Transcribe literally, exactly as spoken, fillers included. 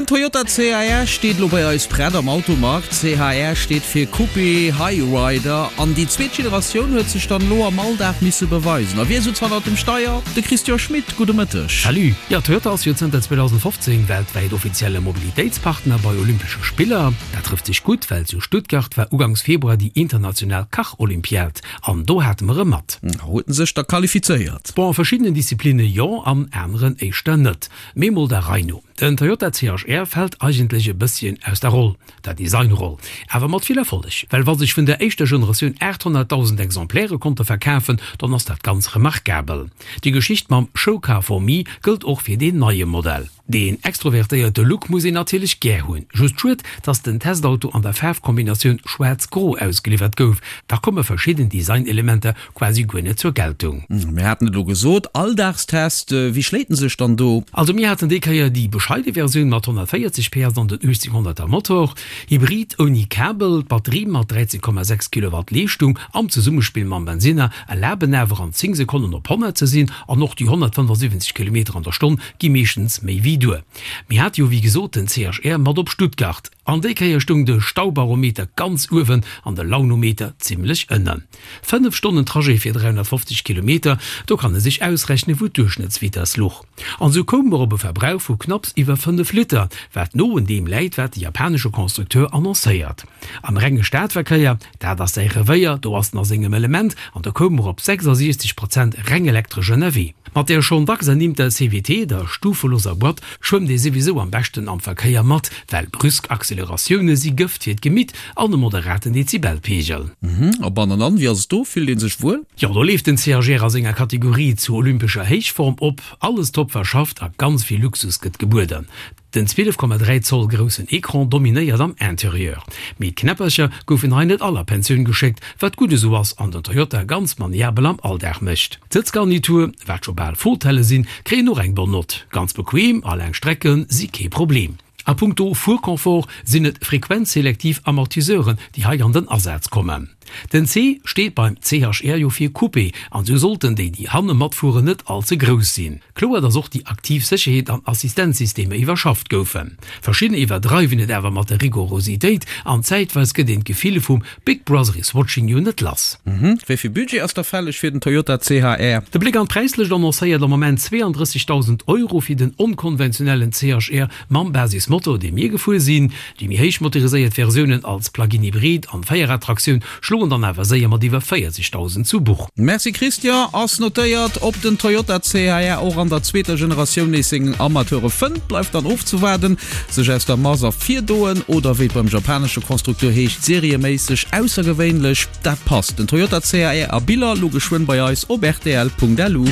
Den Toyota C H R steet elo bei eis prett am Automag. C H R steet fir Coupé Hyryder an déi zweet Generatioun huet sech dann elo am Alldag misse beweisen. A wie souz hannert dem Steier? De Christian Schmit, gudde Mëtteg. Salut! Jo, Toyota ass jo zënter zweedausendfofzéng weltwäit offizielle Mobilitéitspartner bei Olympesche Spiller. Dat trëfft sech gutt, well zu Stuttgart war ugangs Februar déi international Kacholympiad an do hate mer e mat. Huet en sech da qualifizéiert? Bon, a verschiddenen Disziplinne jo, an aneren éischter net. Mee mol der Rei no. Den Toyota C H R fält eigentlech e bësschen aus der Roll, der Designroll, awer mat vill Erfolleg. Well wa sech vun der éischter Generatioun aathonnertdausend Exemplaire konnte verkafen, dann ass dat ganz remarkabel. Déi Geschicht mam Show Car for Me gëllt och fir deen neie Modell. Deen extrovertéierte Look muss een natierlech gär hunn. Just schued, dass den Testauto an der Faarfkombinatioun schwaarz-gro ausgeliwwert gouf, da komme verschidden Designelementer quasi guer net zur Geltung. Mir haten et elo gesot, Alldagstest, wéi schléit en sech dann do? Also mir haten déi Kéier déi bescheide Versioun mat honnertvéierzeg P S an den uechtzénghonnerter Motor, Hybrid ouni Kabel. D'Batterie mat dräizéng Komma sechs Kilowatt Leeschtung am Zesummespill mam Bensinner erlaben awer an zéng Sekonnen op honnert ze sinn an och déi honnertfënnefasiwwenzeg Kilometer an der Stonn gi meeschtens méi wéi duer. Mir hate jo wéi gesot den C H R mat op Stuttgart an déi Kéier stoung de Staubarometer ganz uewen an de Launometer zimmlech ënnen. Fënnef Stonnen Trajet fir dräihonnertfofzeg Kilometer, do kann e sech ausrechnen, wou d'Duerchschnëttsvitess luch. An esou koume mer op e Verbrauch vu knapps iwwer fënnef Liter, wat no un deem läit, wat de japanesche Constructeur annoncéiert. Am renge Stadverkéier, dat ass säi Revéier, do ass en a sengem Element, an do koume mer op sechsasiechzeg Prozent reng elektresch ënnerwee. Mat där schonn dacks ernimmter C V T, der stufeloser Boîte, schwëmmt ee souwisou am beschten am Verkéier mat, well brüsk Acceleratioune si Gëft fir d'Gemitt an e moderaten Dezibelpeegel. A bannenan, wéi ass et do? Fillt ee sech wuel? Jo, do leeft den C H R a senger Kategorie zu olympescher Héichform op. Alles top verschafft a ganz vill Luxus gëtt gebueden. Den zwielef Komma dräi Zoll groussen Ecran dominéiert am Interieur. Mee d'Knäppercher goufen hei net all a Pensioun geschéckt, wat gutt esou ass an den Toyota ganz maniabel am Alldag mécht. D'Sëtzgarnitur, wat scho bal Fotelle sinn, kréien och eng bonne Note. Ganz bequem a laang Strecke si kee Problem. A punkto Fuerconfort sinn et frequenzselektiv Amortiseuren, déi hei an den Asaz kommen. Den C steet beim C H R jo fir Coupé an esou sollten déi, déi hanne matfueren, net all ze grouss sinn. Kloer, dass och déi aktiv Sécherheet an Assistenzsystemer iwwerschafft goufen. Verschidden iwwerdreiwen et awer mat der Rigorositéit an zäitweis gëtt een d'Gefill vum Big Brother is watching you net lass. Wéi vill Budget ass da fälleg fir den Toyota C H R? De Bléck an d'Präislëscht annoncéiert am Moment zweeandrëssigdausend Euro fir den onkonventionellen C H R mam Basismotor, dee mir gefuer sinn. Déi méi héich motoriséiert Versiounen als Plug-in-Hybrid an Véierradtraktioun schloen dann awer séier mat iwwer véierzegdausend zu Buch. Merci Christian, ass notéiert. Ob den Toyota C H R och an der zweeter Generatioun nees seng Amateure fënnt, bleift dann ofzewaarden. Sech aus der Mass ervirdoen oder wéi et beim japanesche Konstrukteur heescht, serieméisseg aussergewéinlech, dat passt. Den Toyota C H R a Biller lo geschwënn bei eis op rtl Punkt lu.